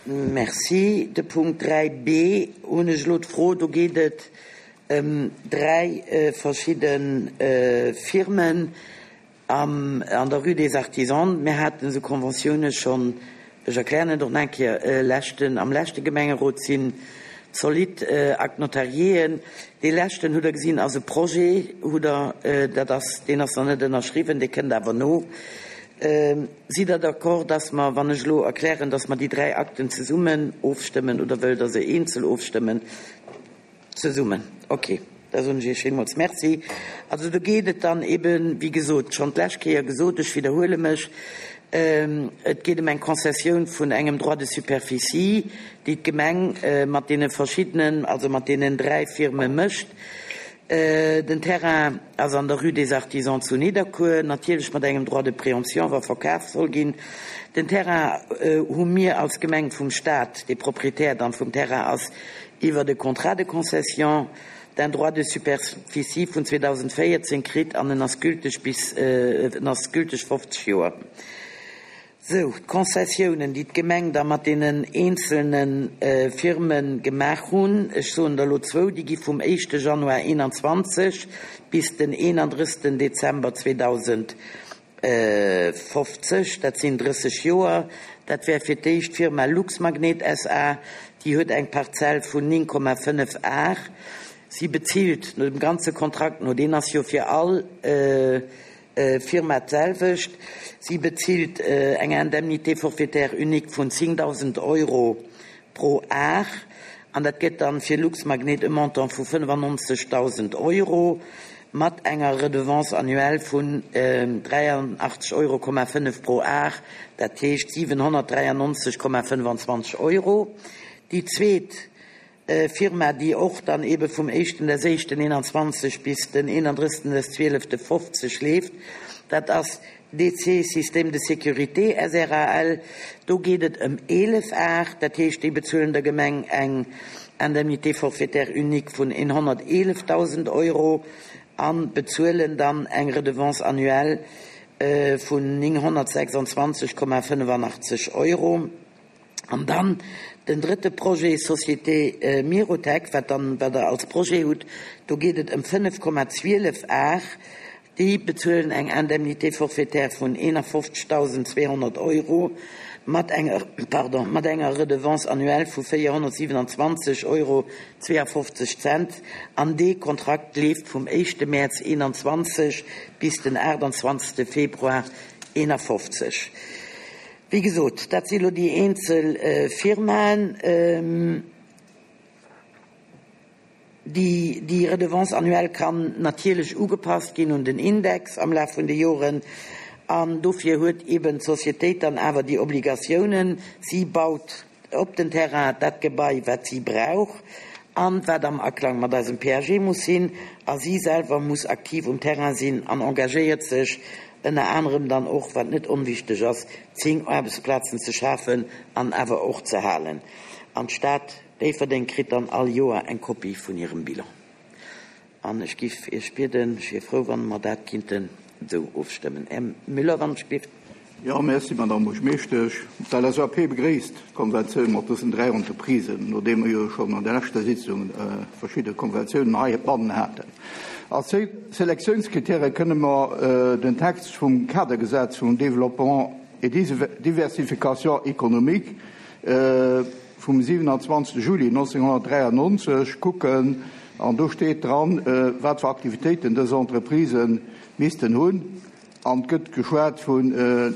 Merci. De Punkt 3b hunn ech elo d'Fro, do geet et ëm 3 verschidde Firmen am, an der Rue des Artisans. Mir haten esou Conventiounen schonn, ech erklären et och nach eng Kéier, leschten, am leschte Gemengerot sinn zolidd Actes notariéen. Dee leschten, hutt Der gesinn, ass e Projet, hutt Der, dat ass, deen ass nach net ënnerschriwwen, dee kënnt awer no. Sidd Der d'accord, dass mer, wann ech elo erklären, dass mer déi 3 Akten zesummen ofstëmmen, oder wëllt Der se eenzel ofstëmmen? Zesummen, ok. Da soen ech Iech villmools Merci. Also do geet et dann eben, wéi gesot, schonn d'lescht Kéier gesot, ech widderhuele mech, et geet ëm eng Konzessioun vun engem Droit de superficie, déi d'Gemeng mat deene verschiddenen, also mat deenen 3 Firme mécht. Den Terrain ass an der Rue des Artisans zu Nidderkuer, natierlech mat engem Droit de préemption, wa verkaf soll ginn. Den Terrain hu mir als Gemeng vum Stat, dee Proprietär dann vum Terrain ass, iwwert e Contrat de concession d'un droit de superficie vun 2014 kritt an en ass gülteg bis, en ass gülteg 50 Joer. Sou, d'Konzessiounen, déi d'Gemeng da mat deenen eenzelne Firme gemaach hunn, ech soen der elo zwou, déi gi vum éischte Januar 21 bis den 31. Dezember 2050, dat sinn 30 Joer. Dat wär fir d'éischt d'Firma Luxmagnet SA, déi huet eng Parzell vun 9,5 Ar. Si bezilt no dem ganze Kontrakt no, deen ass jo fir all, Firma d'selwecht. Si bezilt eng Indemnité forfaitaire unique vun 10.000 Euro pro Ar an dat gëtt dann fir Luxmagnet e Montant vu 95.000 Euro mat enger Redevance annuelle vun 83,5 Euro pro Ar, dat heescht 793,25 Euro. Déi zweet Firma, déi och dann eebe vum éischten des éischten 21 bis den 31 des zwielefte 50 leeft, dat ass DC Systèmes de Sécurité SRAL. Do geet et ëm 11 Ar, dat heescht, déi bezuelen der Gemeng eng Indemnité forfaitaire unique vun 111.000 Euro a bezuelen dann eng Redevance annuelle vun 926,85 Euro. An dann den drëtte Projet, Société Mirotec, wat dann, wat Der als Projet hutt, do geet et ëm 5,12 Ar. Déi bezuelen eng Indemnité forfaitaire vun 51.200 Euro mat enger, pardon, mat enger Redevance annuelle vu 427,52 Euro. An dee Kontrakt leeft vum éischte Mäerz 21 bis den 28. Februar 51. Wéi gesot, dat si elo déi eenzel Firmaen. Déi Redevance annuelle kann natierlech ugepasst ginn un den Index am Laf vun de Joren. An dofir huet eeben d'Sociétéit dann awer déi Obligatiounen. Si baut op den Terrain dat Gebai, wat si brauch an wat am Aklang mat eisem PAG muss sinn. A si selwer muss aktiv um Terrain sinn an engagéiert sech ënner anerem dann och, wat net onwichteg ass, 10 Aarbechtsplazen ze schafen an awer och ze halen. An d'Stad Déifferdeng kritt dann all Joer eng Kopie vun hirem Bilan. An ech giff Iech bieden, ech wier frou, wann mer dat kinnten esou ofstëmmen. Här Müller, wann ech giff. Jo, merci, Madamm Buergermeeschtesch. D'LSAP begréisst d'Konventioun mat dësen 3 Entreprisen, nodeem mer jo schonn an der leschter Sitzung verschidde Konventiounen heibannen haten. Als Selektiounskritäre kënne mer den Text vum Kadergesetz vum Développement et Diversification économique vum 27. Juli 1993 kucken an do steet dran, wat fir Aktivitéiten dës Entreprisë missten hunn. An et gëtt geschwat vun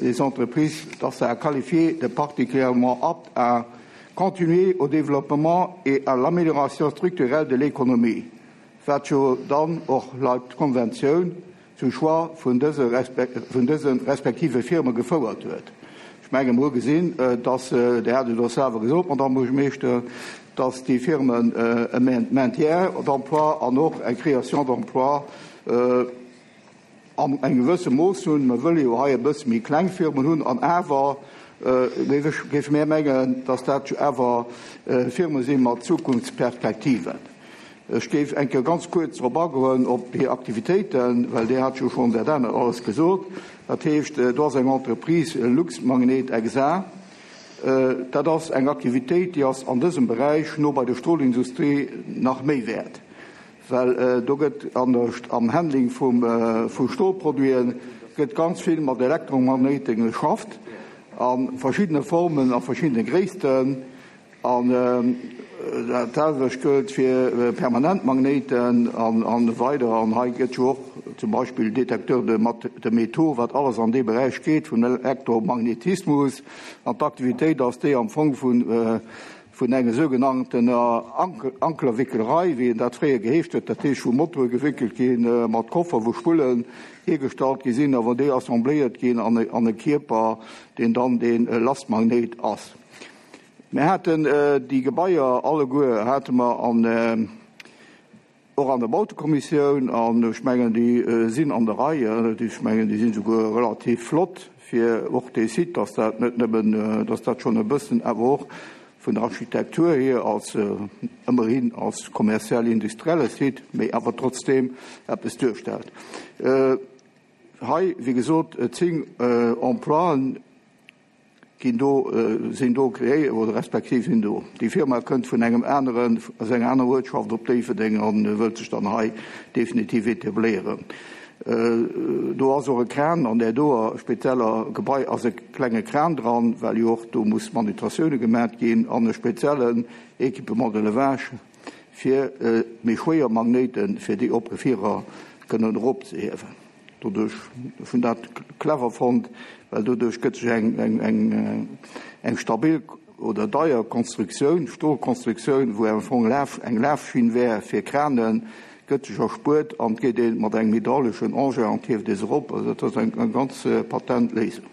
les entreprises, dass se à qualifier de particulièrement aptes à continuer au développement et à l'amélioration structurelle de l'économie, wat jo dann och laut Konventioun zum Choix vun dëse vun dëse respektive Firme gefouert huet. Ech menge mer hu gesinn, dass, Dir hat et och selwer gesot, Madamm Buergermeeschter, dass déi Firmen e Maintien d'emploi an och eng Création d'emploi an engem gewësse Mooss hunn. Mer wëlle jo hei e bësse méi kleng Firmen hunn an awer géife mär mengen, dass dat awer Firme si mat Zukunftsperspektiven. Ech géif eng Kéier ganz kuerz drop agoen, op hir Aktivitéiten, well Dir hat jo schonn dat anert alles gesot. Dat heescht, do ass eng Entreprise, Luxmagnet SA. Dat ass eng Aktivitéit, déi ass an dësem Beräich no bei der Stolindustrie nach méi wäert, well do gëtt an der, am Handling vum, vu Stolproduite gëtt ganz vill mat Elektromagnéite geschafft a verschiddene Formen a verschiddene Gréissten. An dat selwecht gëllt fir Permanentmagnéiten an weider. An hei gëtt jo och zum Beispill Détecteur de de métaux, wat alles an dee Beräich geet vun Elektromagnetismus. An d'Aktivitéit ass déi am Fong vun vun enger sougenanntener Ankerwickelerei, wéi dat fréier geheescht huet, dat heescht wou Motoe gewéckelt gi mat Koffer, wou Spullen hiergestallt gi sinn a wou déi assembléiert ginn an e Kierper, deen dann dee Lastmagnéit ass. Mir haten déi Gebaier alleguer hate mer an och an der Bautekommissioun an ech mengen déi sinn an der Rei. Ech mengen déi sinn souguer relativ flott fir och dee Site, dass dat net nëmmen, dass dat schonn e bëssen awer och vun der Architektur hier als ëmmerhin als kommerziell-industrielle Site, mee awer trotzdeem eppes duerstellt. Hei, wéi gesot, 10 Emploien. Ginn do, sinn do kreéiert oder respektiv sinn do. Déi Firma kënnt vun engem aneren, aus enger anerer Uertschaft op Déifferdeng an wëllt sech dann hei definitiv etabléieren. Do ass och e Kran an där doer spezieller Gebai ass e klenge Kran dran, well jo och do muss Manutratioune gemat ginn an e speziellen Équipement de levage fir méi schwéier Magnéiten, fir déi op Gefierer kënnen eropzehiewen. Doduerch, ech hunn dat clever fonnt, well doduerch gëtt sech eng stabil oder deier Konstruktioun, Stolkonstruktioun, wou am Fong eng Lafschinn wär fir Kranen, gëtt sech erspuert an et geet ee mat engem hydrauleschen Engin an et hieft ee se erop. Also dat ass eng ganz patent Léisung.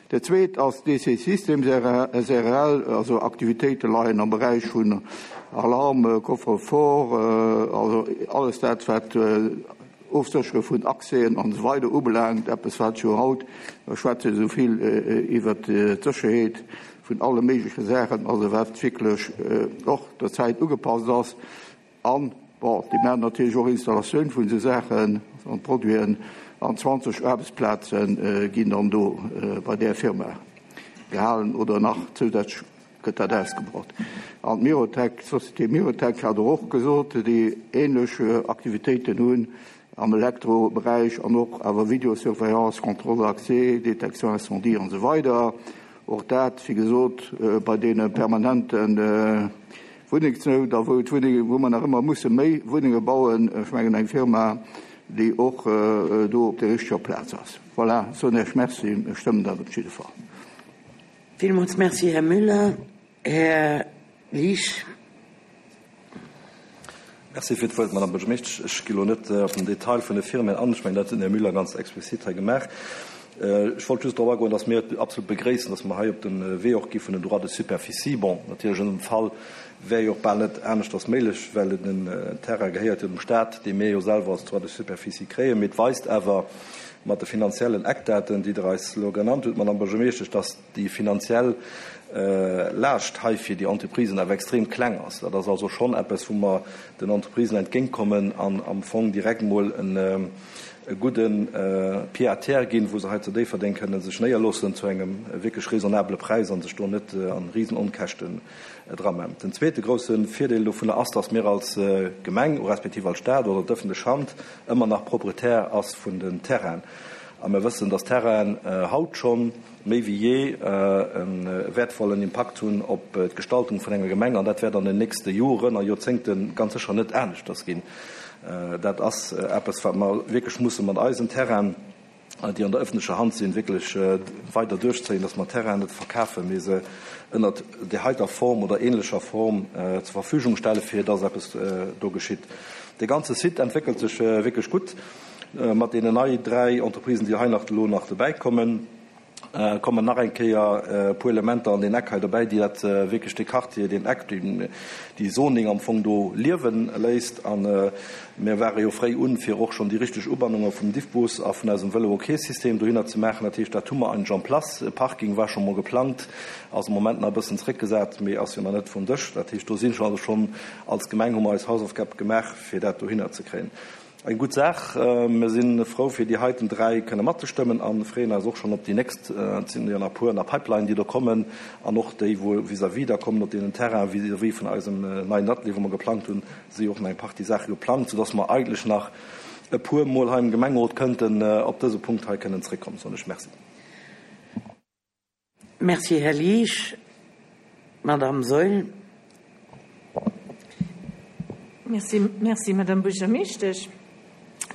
Dat Zweet ass DC Systems srl, also Aktivitéite leien am Beräich vun Alarm, Coffre-fort, also alles dat wat Ofséchere vun Accèsen an esou weider ubelaangt, eppes wat jo haut, mer schwätze esou vill iwwert d'Sécherheet vun alle méigleche Saachen, also wat wierklech och der Zäit ugepasst ass. An, bon, déi maachen natierlech och Installatioun vun esou Saachen an Produiten an 20 Aarbechtsplaze ginn dann do bei där Firma gehalen oder nach zousätzlech gëtt dat ausgebaut. An d'Mirotec, d'Société Mirotec hat der och gesot, déi ähnlech Aktivitéiten hunn am Elektroberäich an och awer Vidéosurveillance, Contrôle d'accès, Détection incendie an esou weider. Och dat, wéi gesot, bei deene permanente Wunnengsnout a wou d'Wunnenge, wou mer nach ëmmer musse méi Wunnenge bauen, ech mengen eng Firma, déi och do op der richteger Plaz ass. Voilà, soen Iech Merci, ech stëmmen dat op jidde Fall. Villmools Merci, Här Müller. Här Liesch. Merci fir d'Wuert, Madame Buergermeeschtesch. Ech gi lo net op den Detail vun de Firmen an. Ech mengen, dat huet den Här Müller ganz explizit hei gemaach. Ech wollt just drop agoen, dass mir et absolut begréissen, dass mer hei op de Wee och gi vun den Droits de superficie. Bon, natierlech an dësem Fall wär jo och bal net aneschters méiglech, well den Terrain gehéiert jo dem Stat, dee mir jo selwer als Droit de superficie kréien. Mee et weist awer mat de finanziellen Eckdaten, déi Der eis elo genannt hutt, Madame Buergermeeschtesch, dass déi finanziell Laascht hei fir déi Entreprisen awer extrem kleng ass. Dat ass also schonn eppes, wou mer den Entreprisen entgéintkommen an am Fong direkt emol e gudde Pied à terre ginn, wou se hei zu Déifferdeng kënne sech néierloossen zu engem wierklech raisonnabele Präis a sech do net a Risenonkäschten drammen. Den zweete grousse Virdeel dovunner ass, dass mir als Gemeng respektiv als Stad oder d'ëffentlech Hand ëmmer nach Proprietär ass vun den Terrainen. A mir wëssen, dass Terrainen haut schonn méi wéi jee e wäertvollen Impakt hunn op d'Gestaltung vun enger Gemeng. An dat wäert an den nächste Joren a Joerzéngte ganz sécher net aneschters ginn. Dat ass eppes, wat mer wierklech musse mat eisen Terrainen, déi an der öffentlecher Hand sinn, wierklech weider duerchzéien, dass mer Terrainen net verkafen, mee se ënnert där heiter Form oder ähnlecher Form zur Verfügung stellen, fir dass eppes do geschitt. Dee ganze Site entwéckelt sech wierklech gutt mat deenen nei 3 Entreprisen, déi hei nach elo nach dobäikommen. Kommen nach eng Kéier e puer Elementer an deen Eck hei dobäi, déi dat wierklech dee Quartier, deen Eck, déi Zoning am Fong do liewe léisst. A mir ware jo fréi un, fir och schonn déi richteg Ubannunge vum Diffbus a vun eisem Vëlo-OK-System dohinner ze maachen. Dat heescht, dat hu mer eigentlech en place. E Parking war scho mol geplangt, ass am Moment nach e bëssen zréckgesat, mee ass jo nach net vum Dësch. Dat heescht, do si also schonn als Gemeng hu mer eis Hausaufgab gemaach, fir dat dohinner ze kréien. Eng gutt Saach. Mir si frou, fir déi heiten 3 kënne matzestëmmen a freeën eis och schonn op déi nächst. Et sinn jo nach e puer an der Pipeline, déi do kommen an och déi, wou vis-à-vis da kommen op deenen Terrainen vis-à-vis vun eisem neien Atelier, wou mer geplangt hunn, si jo och nach eng Partie Saache geplangt, soudass mer eigentlech nach e puer Mol hei am Gemengerot kënnten op dëse Punkt hei kënnen zréckkommen, soen ech Merci. Merci, Här Liesch. Madame Saeul. Merci, merci, Madame Buergermeeschtesch.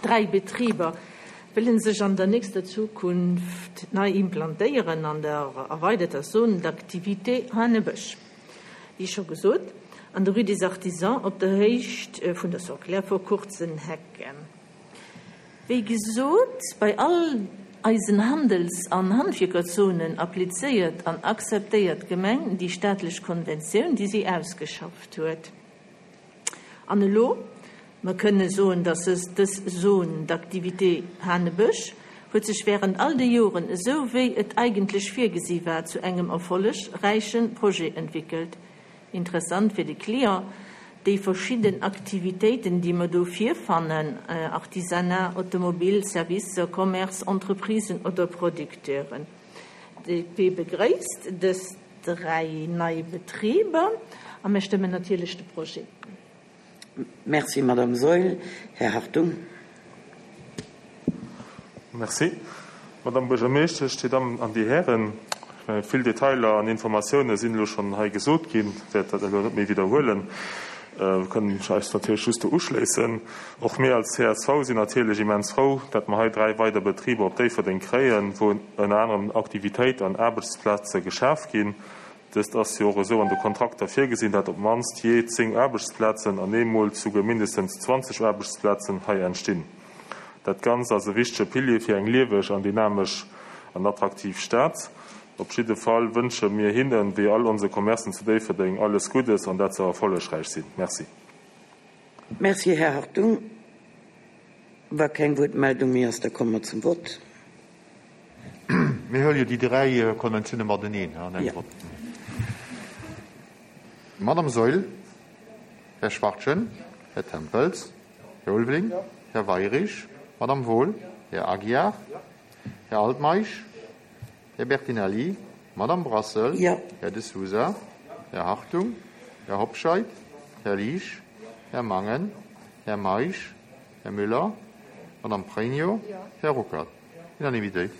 Dräi Betriber wëlle sech an der nächster Zukunft nei implantéieren an der erweiderter Zone d'activité Hanebësch. Wéi scho gesot, an der Rue des Artisans op der Héicht vun der Soclair vor Kurzenhecken. Wéi gesot, bei all eisen Handels an Handwierkerzonen applizéiert an akzeptéiert d'Gemeng déi staatlech Konventioun, déi si ausgeschafft huet. An elo, mer kënne soen, dass dës Zone d'activité Hanebësch huet sech während all de Joren, esou wéi et eigentlech virgesi war, zu engem erfollegräiche Projet entwéckelt. Interessant fir de Client, déi verschidden Aktivitéiten, déi mer do virfannen, Artisanat, Automobil, Servicer, Commerce, Entreprisen oder Producteuren. D'DP begréisst dës 3 nei Betriber a mir stëmmen natierlech de Projet. Merci, Madame Saeul. Här Hartung. Merci, Madame Buergermeeschtesch, Dir Dammen an Dir Hären. Vill Detailer an Informatioune sinn elo schonn hei gesot ginn. Ech wäert dat elo net méi widderhuelen. Mir kënnen eis natierlech just do uschléissen. Och mir als csv sinn natierlech immens frou, dat mer hei 3 weider Betriber op Déifferdeng kréien, wou ënner anerem Aktivitéit an Aarbechtsplaze geschaf ginn. Dëst ass jo och esou an de Kontrakter virgesinn, dat op d'mannst jee 10 Aarbechtsplazen an eemol souguer mindestens 20 Aarbechtsplazen hei entstinn. Dat Ganzt ass e wichtege Pilier fir eng lieweg an dynamesch an attraktiv Stad. Op jidde Fall wënsche mir hinnen, wéi all onse Commercen zu Déifferdeng, alles Guddes an dat se erfollegräich sinn. Merci. Merci, Här Hartung. Wa keng Wuertmeldung méi ass, da komme mer zum Vott. Mir huele jo déi dräi Konventioune mateneen an engem Vott. Madame Saeul, Här Schwachtgen, Här Tempels, Här Ulveling, Här Weirich, Madame Wohl, Här Aguiar, Här Altmeisch, Här Bertinelli, Madame Brassel, Här De Sousa, Här Hartung, Här Hobscheit, Här Liesch, Här Mangen, Här Meisch, Här Müller, Madame Pregno, Här Ruckert. Unanimitéit.